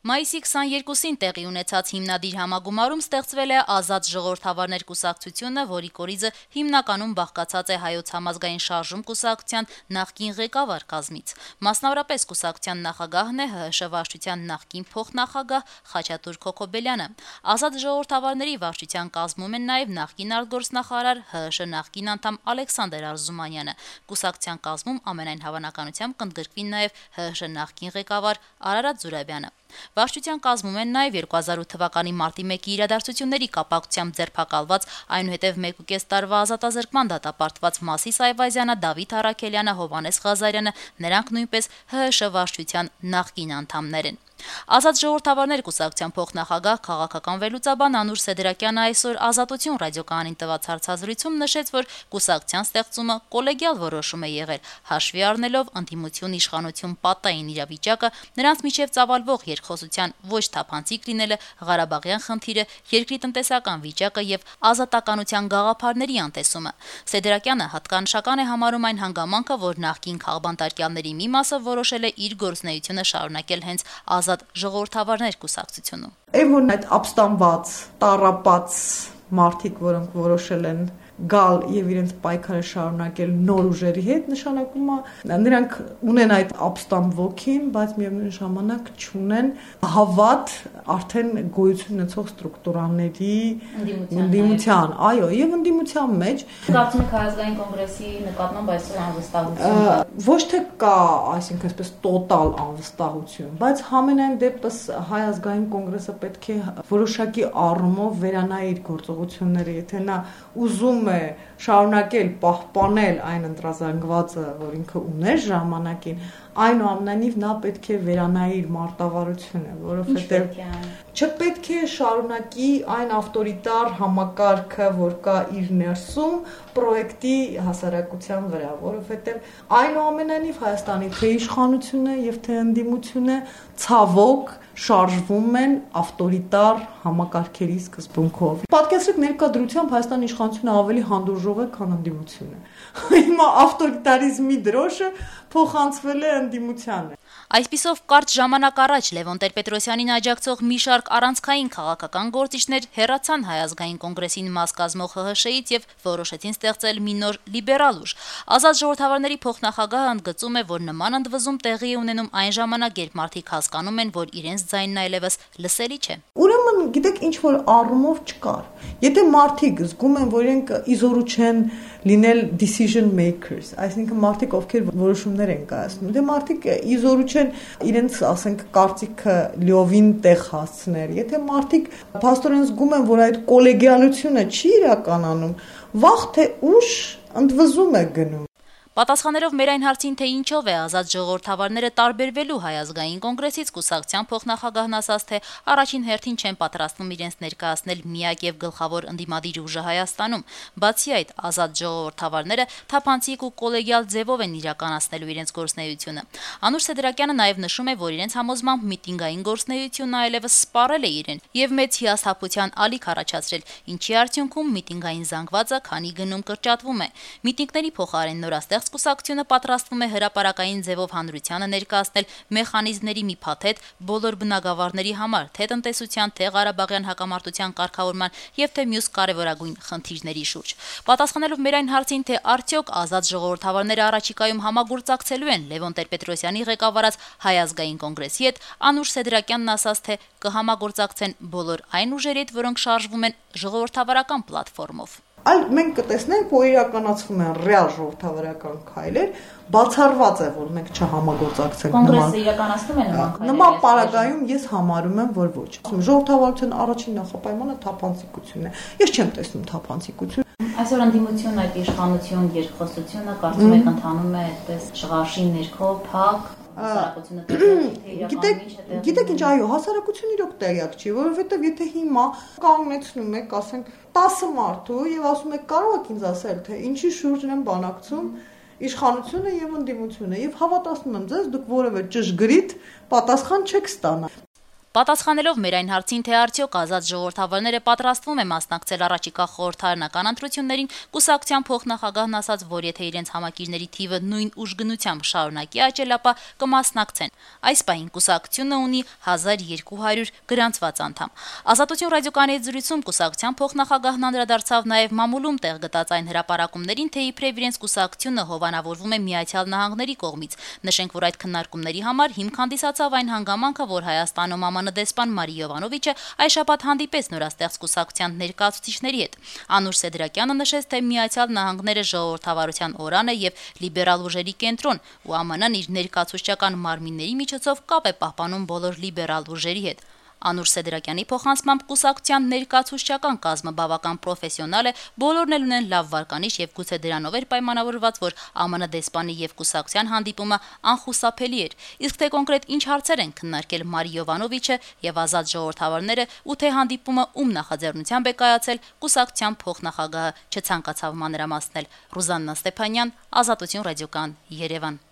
Մայիսի 22-ին տեղի ունեցած հիմնադիր համագումարում ստեղծվել է Ազատ ժողովրդավարներ կուսակցությունը, որի կորիզը հիմնականում բաղկացած է Հայոց համազգային շարժում կուսակցության նախկին ղեկավար կազմից։ Մասնավորապես կուսակցության նախագահն է ՀՀՇ վարչության նախկին փոխնախագահ Խաչատուր Քոքոբելյանը։ Ազատ ժողովրդավարների վարչության կազմում են նաև նախկին արտգործնախարար ՀՀՇ նախկին անդամ Ալեքսանդր Արզումանյանը։ Կուսակցության կազմում ամենայն հավանականությամբ կընդգրկվի նաև ՀՀՇ նախկին ղեկավար Արարատ Զուրաբյանը։ Վարչության կազմում են նաև 2008 թվականի մարտի 1-ի իրադարձությունների կապակցությամբ ձերբակալված, այնուհետև 1.5 տարվա ազատազրկման դատապարտված Մասիս Այվազյանը, Դավիթ Առաքելյանը, Հովհաննես Ղազարյանը, նրանք նույնպես ՀՀՇ վարչության նախկին անդամներ են։ Ազատ ժողովրդավարներ կուսակցության փոխնախագահ քաղաքական վերլուծաբան Անուր Սեդրակյանը այսօր Ազատություն ռադիոկայանին տված հարցազրույցում նշեց, որ կուսակցության ստեղծումը կոլեգիալ որոշում է եղել, հաշվի առնելով ընդդիմություն իշխանություն պատային իրավիճակը, նրանց միջև ծավալվող երկխոսության ոչ թափանցիկ լինելը, Ղարաբաղյան խնդիրը, երկրի տնտեսական վիճակը եւ ազատականության գաղափարների անտեսումը։ Սեդրակյանը հատկանշական է համարում այն հանգամանքը, որ նախկին քաղբանտարկյալների մի մասը որոշել է իր գործունեությունը շարունակել հենց Ազատ ժողովրդավարներ կուսակցությունում։ Այն այդ ապստամբված, տառապած մարդիկ, որոնք որոշել են գալ եւ իրենց պայքարը շարունակել նոր ուժերի հետ, նշանակում է նրանք ունեն այդ ապստամբ ոգին, բայց միևնույն ժամանակ չունեն հավատ արդեն գոյություն ունեցող ստրուկտուրաների ընդդիմության, այո, եւ ընդդիմության մեջ կարծում եք Հայազգային կոնգրեսի նկատմամբ այսօր անվստահություն ոչ թե կա, այսինքն այսպես տոտալ անվստահություն, բայց համենայն դեպս Հայ ազգային կոնգրեսը պետք է որոշակի առումով վերանայի իր գործողությունները, եթե նա ուզում է շարունակել պահպանել այն ընտրազանգվածը, որ ինքը ուներ ժամանակին, այնուամենայնիվ նա պետք է վերանայի իր մարտավարությունը, որովհետև չպետք է շարունակի այն ավտորիտար համակարգը, որ կա իր ներսում պրոյեկտի հասարակության վրա, որովհետև այնուամենայնիվ Հայաստանի թե իշխանությունը եւ թե ընդդիմությունը ցավոք շարժվում են ավտորիտար համակարգերի սկզբունքով։ Պատկերացրեք ներկա դրությամբ Հայաստանի իշխանությունը ավելի հանդուրժող է, քան ընդդիմությունը։ Հիմա ավտորիտարիզմի դրոշը փոխանցվել է ընդդիմությանը։ Այսպիսով կարճ ժամանակ առաջ Լևոն Տեր-Պետրոսյանին աջակցող մի շարք առանցքային քաղաքական գործիչներ հեռացան Հայ ազգային կոնգրեսին մաս կազմող ՀՀՇ-ից եւ որոշեցին ստեղծել մի նոր լիբերալ ուժ։ Ազատ ժողովրդավարների փոխնախագահը ընդգծում է, որ նման ընդվզում տեղի է ունենում այն ժամանակ, երբ մարդիկ հասկանում են, որ իրենց ձայնն այլևս լսելի չէ։ Ուրեմն, գիտեք, ինչ որ առումով չկար։ Եթե մարդիկ զգում են, որ իրենք իզորու չեն լինել decision makers, այսինքն մարդիկ, ովքեր որոշումներ են կայացնում, դե մարդիկ իզորու չեն իրենց, ասենք, կարծիքը լիովին տեղ հասցնել։ Եթե մարդիկ փաստորեն զգում են, որ այդ կոլեգիալությունը չի իրականանում, վաղ թե ուշ ընդվզում է գնում։ Պատասխանելով մեր այն հարցին, թե ինչով է Ազատ ժողովրդավարները տարբերվելու Հայ ազգային կոնգրեսից, կուսակցության փոխնախագահն ասաց, թե առաջին հերթին չեն պատրաստվում իրենց ներկայացնել միակ եւ գլխավոր ընդդիմադիր ուժը Հայաստանում։ Բացի այդ, Ազատ ժողովրդավարները թափանցիկ ու կոլեգիալ ձևով են իրականացնելու իրենց գործունեությունը։ Անուր Սեդրակյանը նաեւ նշում է, որ իրենց համոզմամբ միտինգային գործունեությունը այլևս սպառել է իրեն եւ մեծ հիասթափության ալիք առաջացրել, ինչի արդյունքում միտինգային զանգվածը քանի գնում կրճատվում է։ Միտինգների փոխարեն նորաստեղծ կուսակցությունը պատրաստվում է հրապարակային ձևով հանրությանը ներկայացնել մեխանիզմների մի փաթեթ բոլոր բնագավառների համար, թե տնտեսության, թե Ղարաբաղյան հակամարտության կարգավորման եւ թե մյուս կարեւորագույն խնդիրների շուրջ։ Պատասխանելով մեր այն հարցին, թե արդյոք Ազատ ժողովրդավարները առաջիկայում համագործակցելու են Լևոն Տեր-Պետրոսյանի ղեկավարած Հայ ազգային կոնգրեսի հետ, Անուր Սեդրակյանն ասաց, թե կհամագործակցեն բոլոր այն ուժերի հետ, որոնք շարժվում են ժողովրդավարական պլատֆորմով։ Այլ մենք կտեսնենք, որ իրականացվում են ռեալ ժողովրդավարական քայլեր, բացառված է, որ մենք չհամագործակցենք Կոնգրեսը իրականացնում է նման պարագայում ես համարում եմ, որ ոչ։ Ժողովրդավարության առաջին նախապայմանը թափանցիկությունն է։ Ես չեմ տեսնում թափանցիկություն։ Այսօր ընդդիմություն այդ իշխանություն երկխոսությունը կարծում եք ընթանում է այդպես շղարշի ներքո փակ Գիտեք ինչ, այո, հասարակությունը իրոք տեղյակ չի, որովհետև եթե հիմա կանգնեցնում եք, ասենք 10 մարդու եւ ասում եք կարող եք ինձ ասել, թե ինչի շուրջն են բանակցում իշխանությունը եւ ընդդիմությունը եւ հավատացնում եմ ձեզ, դուք որևէ ճշգրիտ պատասխան չեք ստանա։ Պատասխանելով մեր այն հարցին, թե արդյոք ազատ ժողովրդավարները պատրաստվում է մասնակցել առաջիկա խորհրդարանական ընտրություններին, կուսակցության փոխնախագահն ասաց, որ եթե իրենց համակիրների թիվը նույն ուժգնությամբ շարունակի աճել, ապա կմասնակցեն։ Այս պահին կուսակցությունը ունի 1200 գրանցված անդամ։ Ազատություն ռադիոկայանի հետ զրույցում կուսակցության փոխնախագահն անդրադարձավ նաև մամուլում տեղ գտած այն հրապարակումներին, թե իբրև իրենց կուսակցությունը հովանավորվում է Միացյալ Նահանգների կողմից։ Նշենք, որ այդ քննարկումների համար հիմք հանդիսացավ այն հանգամանքը, որ Հայաստանում ԱՄՆ դեսպան Մարի Յովանովիչը այս շաբաթ հանդիպեց նորաստեղծ կուսակցության ներկայացուցիչների հետ։ Անուր Սեդրակյանը նշեց, թե Միացյալ Նահանգները ժողովրդավարության օրան է եւ լիբերալ ուժերի կենտրոն, ու ԱՄՆ-ն իր ներկայացուցչական մարմինների միջոցով կապ է պահպանում բոլոր լիբերալ ուժերի հետ։ Անուր Սեդրակյանի փոխանցմամբ կուսակցության ներկայացուցչական կազմը բավական պրոֆեսիոնալ է, բոլորն էլ ունեն լավ վարկանիշ եւ գուցե դրանով էր պայմանավորված, որ ԱՄՆ դեսպանի եւ կուսակցության հանդիպումը անխուսափելի էր։ Իսկ թե կոնկրետ ինչ հարցեր են քննարկել Մարի Յովանովիչը եւ ազատ ժողովրդավարները, ու թե հանդիպումը ում նախաձեռնությամբ է կայացել, կուսակցության փոխնախագահը չցանկացավ մանրամասնել։ Ռուզաննա Ստեփանյան, Ազատություն ռադիոկայան, Երևան։